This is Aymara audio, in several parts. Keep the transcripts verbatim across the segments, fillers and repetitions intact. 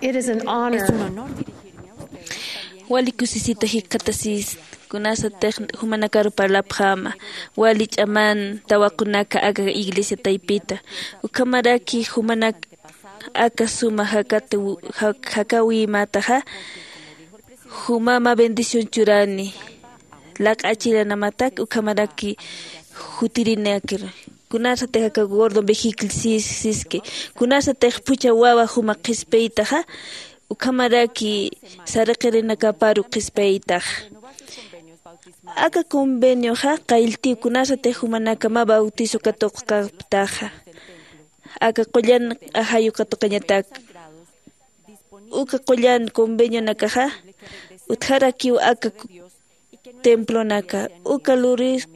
It is an honor. Wali kusisita jikxatasist, kunasatix jumanakaru parlapxäma, wali ch'aman tawaqunaka aka iglesia taypita, ukhamaraki jumanak aka suma jakati, jak-, jakäwimätaxa, juma mä bendición churani, laq'achilanamatak ukhamaraki jutirinakir. Kunasatix aka gordo vejicle sis-, siski, kunasatix phuchha wawa juma qhispiytaxa, ukhamaraki saraqirinakaparu qhispiytax. Aka convenioxa qaylltiw kunasatix jumanaka mä bautizo katuqkaptaxa, aka qullan ajayu katuqañatak. Uka qullan convenionakaxa utjarakiw aka templonaka, uka luris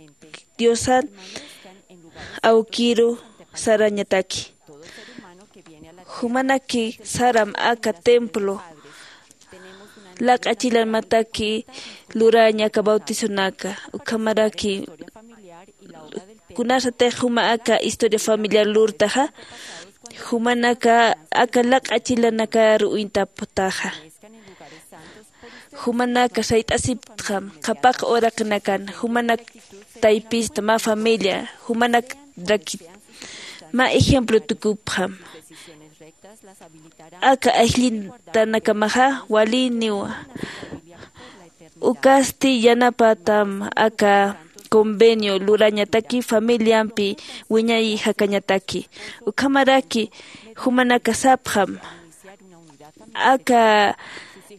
Diosan awkiru sarañataki. Jumanaki saram aka templo laq'achilamataki luraña aka bautizonaka, ukhamaraki kunasatix juma aka historia familiar lurtaxa, jumanaka aka laq'achilanakaru uñtaptaxa. Jumanaka sayt'asiptxam qhapaq uraqinakan, jumanak taypista mä familia, jumanakrakit mä ejemplo tukupxam. Aka aylltanakamaxa waliniwa. Ukasti yanapatam aka convenio lurañataki familiampi wiñay jakañataki. Ukhamaraki jumanaka sapxam, aka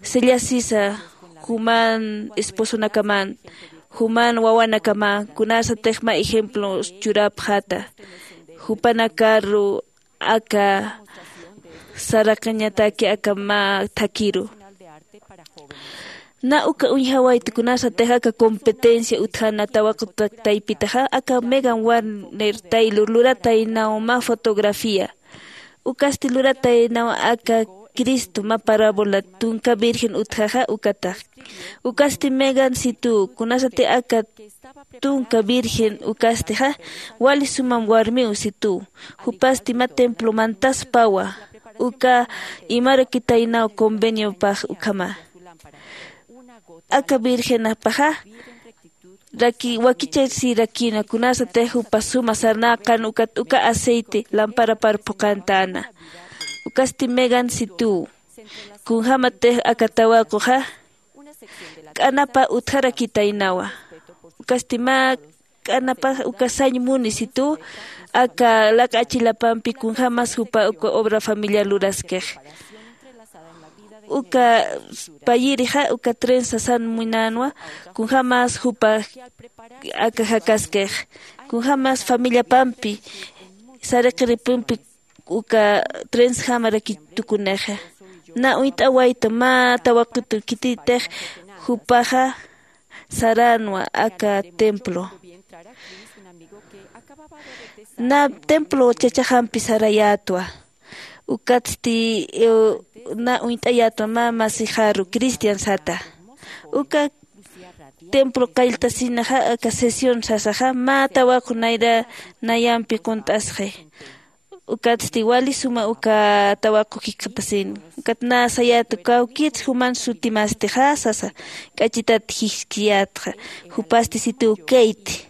sellasisa juman esposonakaman, juman wawanakaman, kunasatix mä ejemplo churapxata, jupanakaru aka saraqiñataki aka mä thakiru. Na uka uñjawayta kunasatix aka competencia utjana tawaqu ta-, taypitaxa, aka Megan Warner Taylor lurataynaw mä fotografía. Ukasti lurataynaw aka Cristo mä parábola tunka virgen utjaxa ukatax. Ukasti Megan situ, kunasati aka tunka virgen ukastixa, wali sumam warmiw situ. Jupasti mä templo mantaspawa, uka imarakitaynaw conveniopax ukhama. Aka virgenapaxa raki-, wakichasirakina, kunasatix jupa suma sarnaqan ukat uka aceite lamparapar phuqantäna. Ukasti Megan situ, kunjämatix aka tawaquxa k'anapa utjarakitaynawa. Ukasti mä k'anapa uka sañ muni situ, aka laq'achilapampi kunjämas jupa uka obra familiar luraskix. Uka payirixa uka trenza san munänwa, kunjämas jupa aka jakaskix, kunjämas familiapampi saraqirinpampi uka trenzjamarakit tukunixa. Na uñt'awayta mä tawaqutu khititix jupaxa saränwa aka templo. Na templo chachaxampi sarayätwa. Ukatsti, eh, na uñt'ayätwa mä masixaru cristian sata. Uka templo qalltasinaxa aka sesión sasaxa mä tawaqu nayra nayampi qunt'asxi. Ukatsti wali suma uka tawaqu jikxatasini. Ukat na sayäta kawkits juman sutimastixa sasa, k'achitat jiskiyätxa, jupasti situ Kate.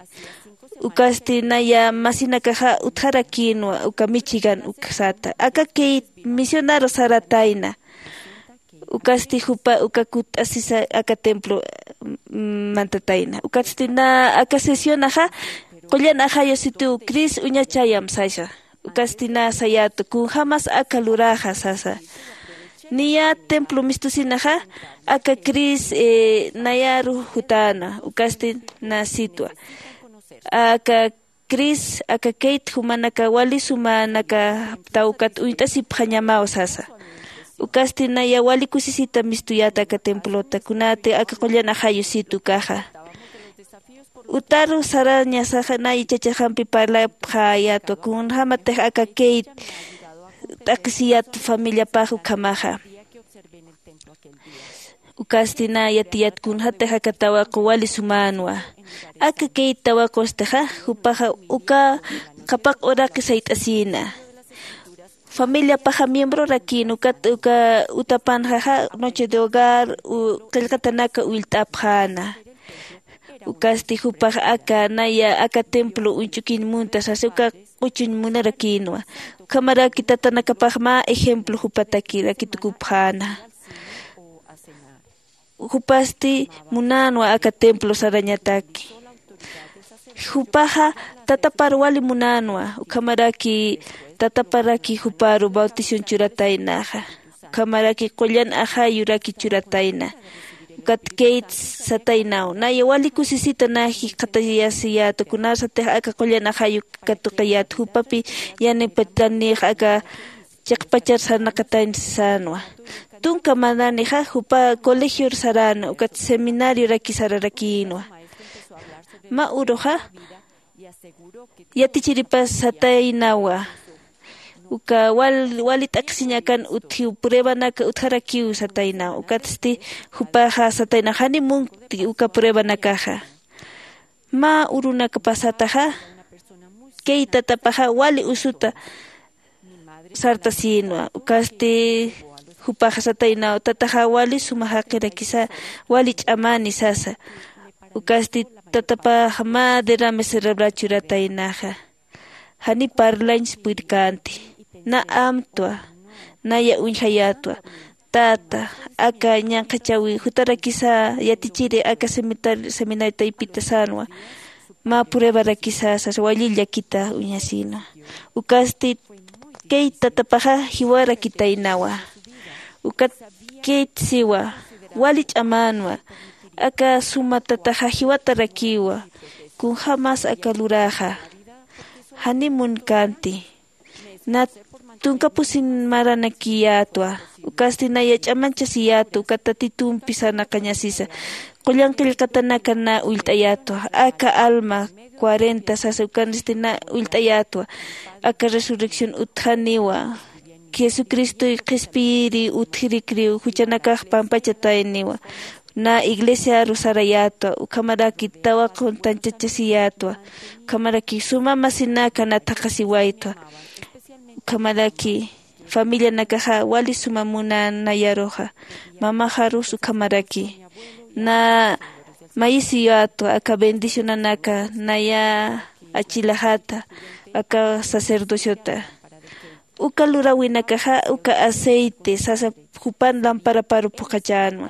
Ukasti naya masinakaxa utjarakïnwa uka Michigan uksata. Aka Kate misionaru saratayna. Ukasti jupa uka kutt'asisa aka templo, mm, mantatayna. Ukatsti na aka sesionaxa qullan ajayu situ Cris uñachayam sasa. Ukasti na sayäta kunjämas aka luraxa sasa. Niya templo mistusinaxa aka Cris, eh, nayaru jutäna. Ukasti na sitwa. Aka Cris, aka Kate jumanaka wali sumanaka tawkat uñt'asipxañamaw sasa. Ukasti naya wali kusisita mistuyäta aka templota, kunati aka qullan ajayu situ ukaxa. Utaru sarañasaxa nay chachaxampi parlapxayätwa, kunjämatix aka Kate t'aqhisiyät familiapax ukhamaxa. Ukasti na yatiyät kunjätix aka tawaqu wali sumänwa. Aka Kate tawaqustixa, jupaxa uka qhapaq uraqi sayt'asïna. Familiapaxa miembrorakin ukat uka utapanxaxa noche de hogar qillqatanaka ullt'apxäna. Ukasti jupax aka naya aka templo uñch'ukiñ munta sasa uka q'uchuñ munarakïnwa. Ukhamaraki tatanakapax mä ejemplo jupatakirakit ukupxäna. Jupasti munänwa aka templo sarañataki. Jupaxa tatapar wali munänwa ukhamaraki tataparaki juparu bautición churataynaxa. Ukhamaraki qullan ajayuraki churatayna. Ukat kayt sataynaw naya wali kusisita nä jikxatayasiyäta kunasatix aka qullan ajayu katuqiyäta jupapi yanipatanix aka chiqpachar sarnaqatañ sänwa. Tunka mananixa jupa colegior saräna ukat seminarioraki sararakïnwa. Mä uruxa yatichiripas sataynawa uka wali t'aqhisiñ akan utjiw pruebanaka utjarakiw sataynaw ukatsti jupaxa sataynaw jani munkti uka pruebanakaxa. Mä urunakapasataxa kay tatapaxa wali usuta sartasïnwa ukasti jupaxa sataynaw tataxa wali suma jaqirakisa wali ch'amani sasa. Ukasti tatapax mä derrame cerebral churataynaxa. Jani parlañs purkänti nä amtwa naya uñjayätwa. Tata aka ñanqhachawi jutarakisa yatichiri aka seminari taypita sänwa. Mä pruebarakisa sasa wali llakita uñasïnwa. Ukasti kayt tatapaxa jiwarakitaynawa. Ukat kayt siwa wali ch'amänwa. Aka suma tataxa jiwatarakiwa. Kunjämas aka luräxa jani munkänti. Nä tunka pusin maranakiyätwa. Ukasti naya ch'amanchasiyätwa ukat tatitumpi sarnaqañasisa. Qullan qillqatanaka nä ullt'ayätwa aka alma cuarenta sasa ukanisti nä ullt'ayätwa. Aka resurrección utjaniwa. Jesucristoy qhispiyiri utjirikriw juchanakax pampachatayniwa. Nä iglesiaru sarayätwa ukhamaraki tawaquntanchachasiyätwa. Ukhamaraki suma masinaka nä thaqhasiwaytwa. Ukhamaraki familianakaxa wali suma munän nayaruxa. Mamaxarus ukhamaraki nä mayisiyätwa aka bendicionanaka naya achilaxata aka sacerdociota. Uka luräwinakaxa uka aceite sasa jupan lamparaparu phuqhachänwa.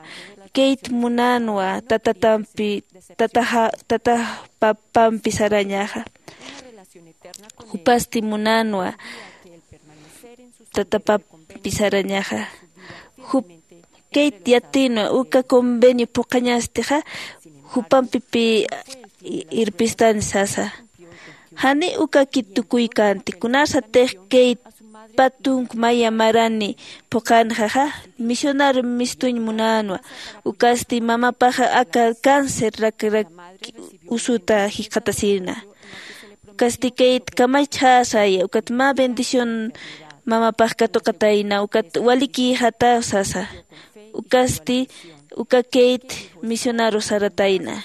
Kayt munänwa tatatampi tataxa tatax papampi sarañaxa. Jupasti munänwa tatapampi sarañaxa. Jup kayt yatïnwa uka convenio phuqhañastixa jupampipi irpistani sasa. Jani ukakit tukuykänti kunasatix kayt patunk maya marani phuqhanxaxa misionar mistuñ munänwa. Ukasti mamapaxa aka cáncer rakrak usuta jikxatasïna. Ukasti kayt kamachjäsaya ukat mä bendición mamapax katuqatayna ukat walikïxataw sasa. Ukasti uka kayt misionaru saratayna.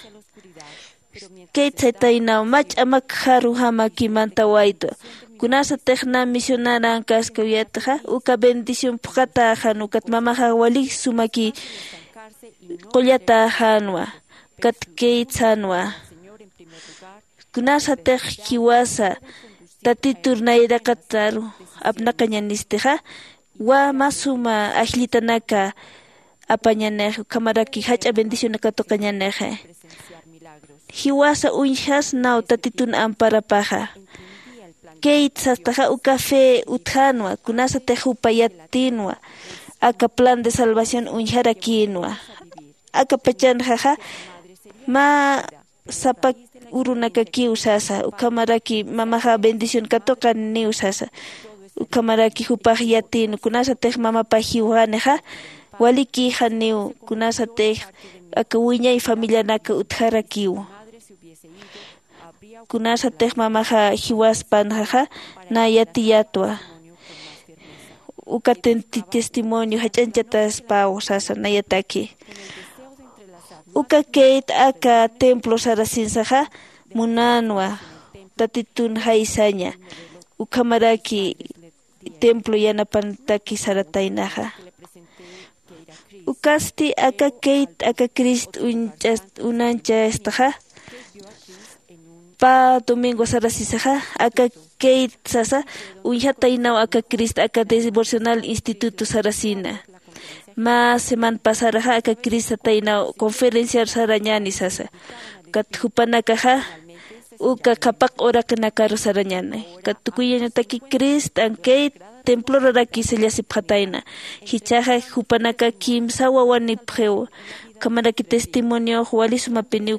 Kayt saytaynaw mä ch'amakjaru jamaki mantawaytwa. Kunasatix nä misionaran kaskawiyätxa uka bendición phuqhatäxan ukat mamaxax walik sumaki qullatäxänwa. Ukat kayt sänwa kunasatix jiwasa tatitur nayraqataru apnaqañanistixa wa mä suma ajllitanaka apañanix ukhamaraki jach'a bendicionaka tuqañanixi. Jiwasa uñjasnaw tatitun amparapaxa. Kayt sastaxa uka fe utjänwa kunasatix jupa yatïnwa aka plan de salvación uñjarakïnwa. Aka pachanxaxa mä sapa urunakakiw sasa ukhamaraki mamaxa bendición katuqaniw sasa. Ukhamaraki jupax yatïn kunasatix mamapax jiwanixa walikïxaniw kunasatix aka wiñay familianaka utjarakiw. Kunasatix mamaxa jiwaspanxaxa nä yatiyätwa. Uka testimonio jach'añchataspaw sasa nayataki. Uka kayt aka templo sarasinsaxa munänwa tatitun jaysaña ukhamaraki templo yanapantaki sarataynaxa. Ukasti aka keyt aka crist uñch'ast unanchastaxa pä domingo sarasisaxa aka keyt sasa uñjataynaw aka crist aka devocional instituto sarasina. Mä seman pasaraxa aka crist sataynaw conferenciar sarañani sasa. Kat jupanakaxa uka qhapaq uraqinakaru sarañani kat tukuyañataki crist ankey temploraraki sallasipxatayna. Jichhaxa jupanaka kimsa wawanipxiw. Ukhamaraki testimoniox wali sumapiniw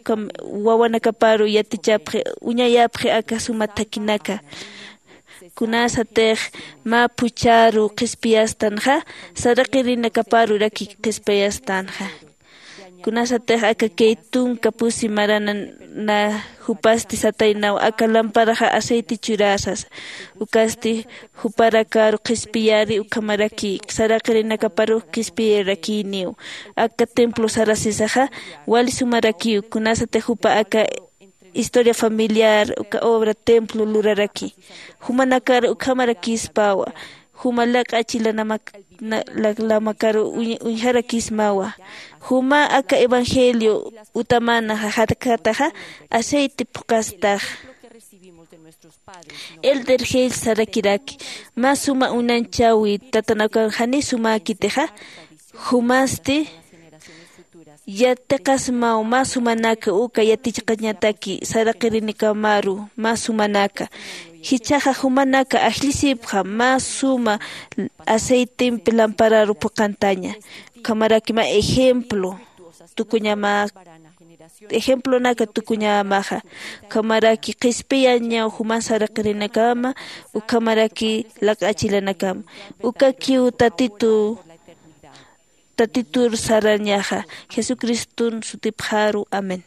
wawanakaparu yatichapxi uñayapxi aka suma thakinaka. Kunasatix mä phuchharu qhispiyastanxa saraqirinakaparuraki qhispiyastanxa. Kunasatix aka key tunka pusi marana jupasti sataynaw aka lamparaxa aceite churasas. Ukasti juparakaru qhispiyari ukhamaraki saraqirinakaparux qhispiyarakiniw. Aka templo sarasisaxa wali sumarakiw kunasatix jupa aka historia familiar uka obra templo luraraki. Jumanakar ukhamarakispawa juma lak'a chilanamakaru uñjarakismawa. Juma aka evangelio utamana jajatkataxa aceite phuqastaxa. Elder gel sarakiraki mä suma unanchawi tatanakaw jani sumäkitixa jumasti yatiqasmaw mä sumanaka uka yatichaqañataki saraqirinakamaru mä sumanaka. Jichhaxa jumanaka ajllisipxa mä suma aceitempi lampararu phuqantaña. Ukhamaraki mä ejemplo tukuñama ejemplonaka tukuñamaxa. Ukhamaraki qhispiyañaw juman saraqirinakama ukhamaraki lak'a chilanakama. Ukakiw tatitu tatitur sarañaxa jesucriston sutipxaru amén.